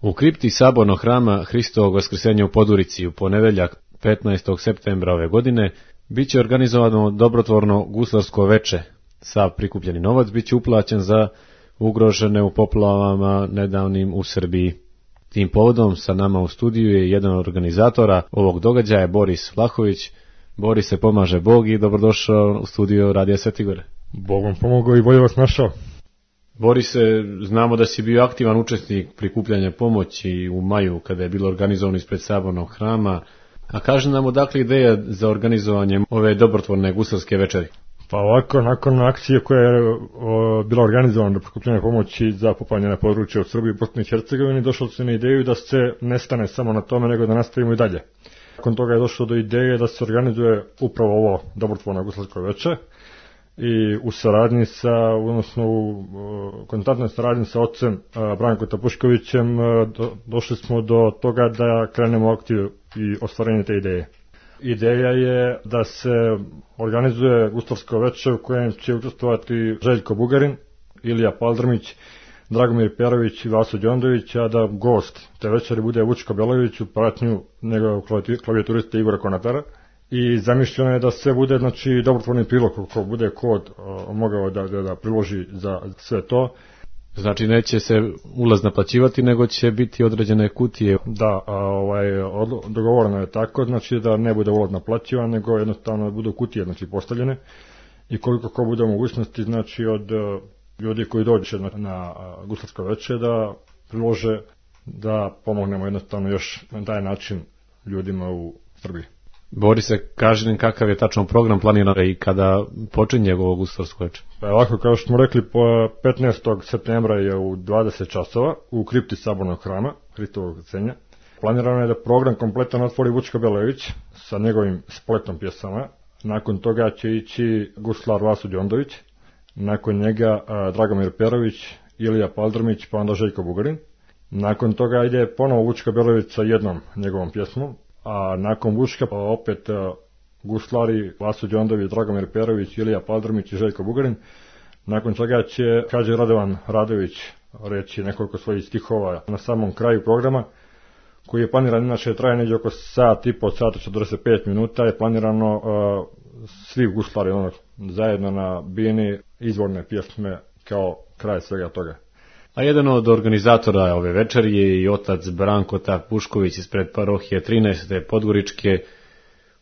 U kripti sabornog hrama Hristovog Vaskrsenja u Podurici u ponedeljak 15. septembra ove godine bit će organizovano dobrotvorno guslarsko veče. Sav prikupljeni novac bit će uplaćen za ugrožene u poplavama nedavnim u Srbiji. Tim povodom sa nama u studiju je jedan od organizatora ovog događaja, Boris Vlahović. Boris, se pomaže Bog i dobrodošao u studio Radija Svetigore. Bog vam pomogao i bolje vas našao. Borise, znamo da si bio aktivan učesnik prikupljanja pomoći u maju kada je bilo organizovano ispred sabornog hrama. A kaži nam odakle ideja za organizovanje ove dobrotvorne guslarske večeri? Pa ovako, nakon akcije koja je bila organizovana do prikupljanja pomoći za poplavljena područja u Srbiji i Bosni i Hercegovini, došlo se na ideju da se ne stane samo na tome, nego da nastavimo i dalje. Nakon toga je došlo do ideje da se organizuje upravo ovo dobrotvorno guslarsko veče i u saradnji sa, odnosno u kontaktnoj saradnji sa ocem Brankom Tapuškovićem došli smo do toga da krenemo aktiv i ostvarenje te ideje. Ideja je da se organizuje guslarsko veče u kojem će učestvovati Željko Bugarin, Ilija Paldrmić, Dragomir Perović i Vaso Đondović, a da gost te večeri bude Vučko Belović u pratnju njegovog klavijaturiste Igora Konatara. I zamišljeno je da se bude, znači, dobrotvorni prilog, ko bude kod mogao da priloži za sve to. Znači neće se ulaz naplaćivati, nego će biti određene kutije. Da, dogovoreno je tako, znači da ne bude ulaz naplaćivan, nego jednostavno da budu kutije, znači, postavljene. I koliko ko bude mogućnosti, znači, od ljudi koji dođe na guslarsko veče da prilože, da pomognemo jednostavno još na taj način ljudima u Srbiji. Borise, kaži nam kakav je tačno program planiran i kada počinje ovo guslarsko veče? Pa ovako, kao što smo rekli, 15. septembra je u 20 časova u kripti sabornog hrama Hristovog Vaskrsenja. Planirano je da program kompletan otvori Vučko Belović sa njegovim spletom pjesama. Nakon toga će ići guslar Vaso Đondović, nakon njega Dragomir Perović, Ilija Paldrmić, pa onda Željko Bugarin. Nakon toga ide ponovo Vučko Belović sa jednom njegovom pjesmom, a nakon Vučka opet guslari Vaso Đondović, Dragomir Perović, Ilija Paldrmić i Željko Bugarin. Nakon čega će Hadži Radovan Radović reći nekoliko svojih stihova na samom kraju programa, koji je planiran, inače traje negdje oko sat i po, sata 45 minuta, je planirano svi guslari zajedno na bini izvorne pjesme kao kraj svega toga. A jedan od organizatora ove večeri je i otac Branko Tapušković ispred parohije 13. Podgoričke,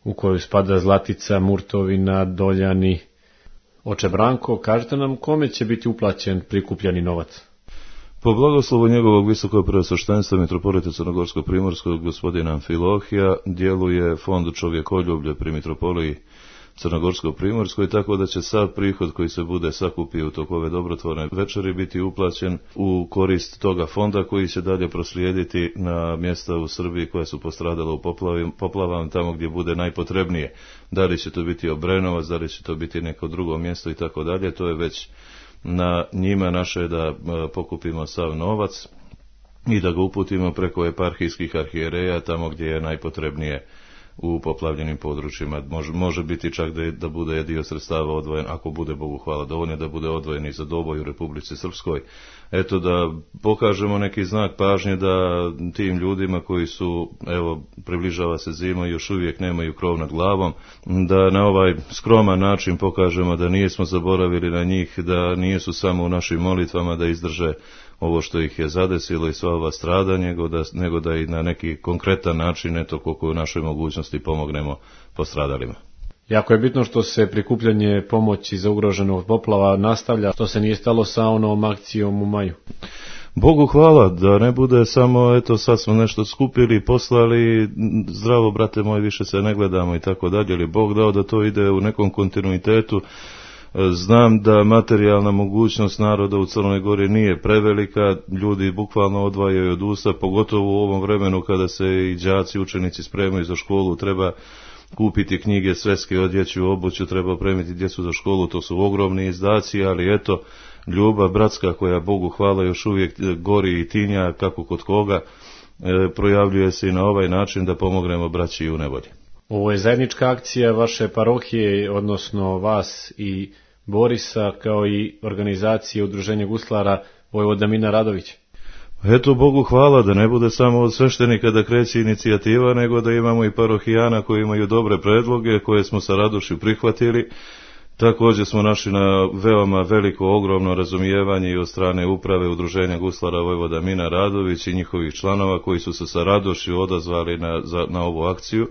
u koju spada Zlatica, Murtovina, Doljani. Oče Branko, kažete nam kome će biti uplaćen prikupljani novac? Po blagoslovu njegovog visokog preosveštenstva mitropolita Crnogorsko-primorskog gospodina Amfilohija djeluje fond čovjekoljublje pri mitropoliji Crnogorsko-primorskoj, tako da će sav prihod koji se bude sakupio u toku ove dobrotvorne večeri biti uplaćen u korist toga fonda, koji će dalje proslijediti na mjesta u Srbiji koja su postradala u poplavama, tamo gdje bude najpotrebnije. Da li će to biti Obrenovac, da li će to biti neko drugo mjesto i tako dalje, to je već na njima naše da pokupimo sav novac i da ga uputimo preko eparhijskih arhijereja tamo gdje je najpotrebnije u poplavljenim područjima. Može biti čak da bude dio sredstava odvojen, ako bude, Bogu hvala, dovoljno da bude odvojen i za Doboj u Republici Srpskoj. Eto, da pokažemo neki znak pažnje da tim ljudima koji su, evo, približava se zima i još uvijek nemaju krov nad glavom, da na ovaj skroman način pokažemo da nismo zaboravili na njih, da nisu samo u našim molitvama da izdrže ovo što ih je zadesilo i sva ova stradanja, nego da i na neki konkretan način, eto, koliko u našoj mogućnosti pomognemo postradalima. Jako je bitno što se prikupljanje pomoći za ugroženog poplava nastavlja, što se nije stalo sa onom akcijom u maju. Bogu hvala, da ne bude samo, eto, sad smo nešto skupili, poslali, zdravo brate moj, više se ne gledamo i tako dalje, ali Bog dao da to ide u nekom kontinuitetu. Znam da materijalna mogućnost naroda u Crnoj Gori nije prevelika, ljudi bukvalno odvajaju od usta, pogotovo u ovom vremenu kada se i đaci, učenici spremaju za školu, treba kupiti knjige, sveske, odjeću, obuću, treba opremiti djecu za školu, to su ogromni izdaci, ali eto, ljubav bratska koja, Bogu hvala, još uvijek gori i tinja kako kod koga, projavljuje se i na ovaj način da pomognemo braći u nevolji. Ovo je zajednička akcija vaše parohije, odnosno vas i Borisa, kao i organizacije Udruženja guslara Vojvoda Mina Radović. Eto, Bogu hvala da ne bude samo od sveštenika da kreće inicijativa, nego da imamo i parohijana koji imaju dobre predloge, koje smo sa radošću prihvatili. Također smo našli na veoma veliko, ogromno razumijevanje i od strane uprave Udruženja guslara Vojvoda Mina Radović i njihovih članova koji su se sa radošću odazvali na ovu akciju,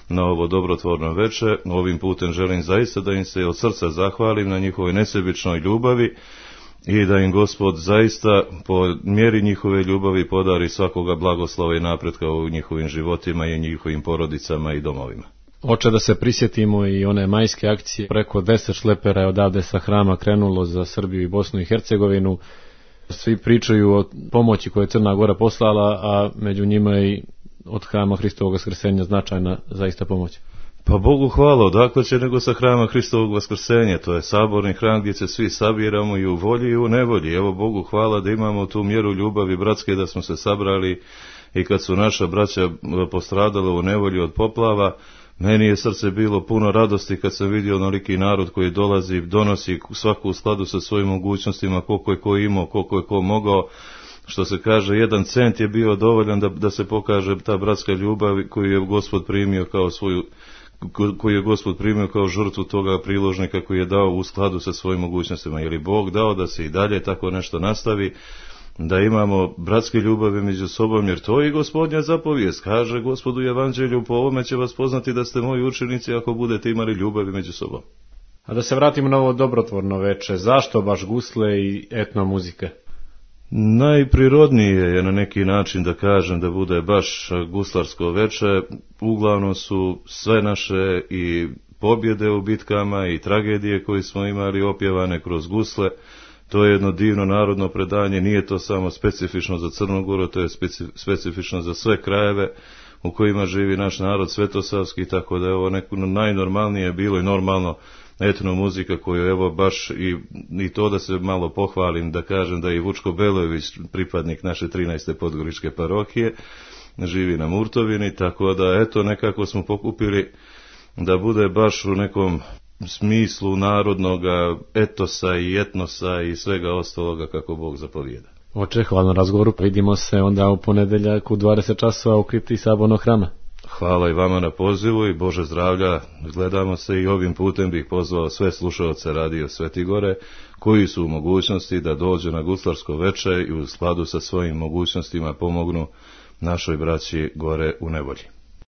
na ovo dobrotvorno veče. Ovim putem želim zaista da im se od srca zahvalim na njihovoj nesebičnoj ljubavi i da im Gospod zaista po mjeri njihove ljubavi podari svakoga blagoslova i napretka u njihovim životima i njihovim porodicama i domovima. Oče, da se prisjetimo i one majske akcije, preko 10 šlepera je odavde sa Hrama krenulo za Srbiju i Bosnu i Hercegovinu. Svi pričaju o pomoći koju je Crna Gora poslala, a među njima i od Hrama Hristovog Vaskrsenja značajna zaista pomoć. Pa Bogu hvala, odakle će nego sa Hrama Hristovog Vaskrsenja, to je saborni hram gdje se svi sabiramo i u volji i u nevolji. Evo Bogu hvala da imamo tu mjeru ljubavi bratske, da smo se sabrali i kad su naša braća postradala u nevolji od poplava, meni je srce bilo puno radosti kad sam vidio onoliki narod koji dolazi, donosi svaku u skladu sa svojim mogućnostima, koliko je ko imao, koliko je ko mogao. Što se kaže, 1 cent je bio dovoljan da se pokaže ta bratska ljubav koju je Gospod primio kao svoju, koju je Gospod primio kao žrtvu toga priložnika koji je dao u skladu sa svojim mogućnostima. Je li Bog dao da se i dalje tako nešto nastavi, da imamo bratske ljubavi među sobom, jer to je i Gospodnja zapovijest. Kaže Gospod u Evanđelju, po ovome će vas poznati da ste moji učenici ako budete imali ljubavi među sobom. A da se vratimo na ovo dobrotvorno veče, zašto baš gusle i etno muzike? Najprirodnije je na neki način da kažem da bude baš guslarsko veče. Uglavnom su sve naše i pobjede u bitkama i tragedije koje smo imali opjevane kroz gusle. To je jedno divno narodno predanje, nije to samo specifično za Crnu Goru, to je specifično za sve krajeve u kojima živi naš narod svetosavski, tako da je ovo neko najnormalnije bilo i normalno etno muzika koju evo baš i to da se malo pohvalim, da kažem da je Vučko Belojević pripadnik naše 13. podgoričke parohije, živi na Murtovini, tako da eto nekako smo pokupili da bude baš u nekom smislu narodnoga etosa i etnosa i svega ostaloga kako Bog zapovijeda. Oče, hvala na razgovoru, vidimo se onda u ponedeljak u 20 časova u kripti Sabornog hrama. Hvala i vama na pozivu i Bože zdravlja, gledamo se i ovim putem bih pozvao sve slušaoce Radio Sveti Gore koji su u mogućnosti da dođu na guslarsko veče i u skladu sa svojim mogućnostima pomognu našoj braći gore u nevolji.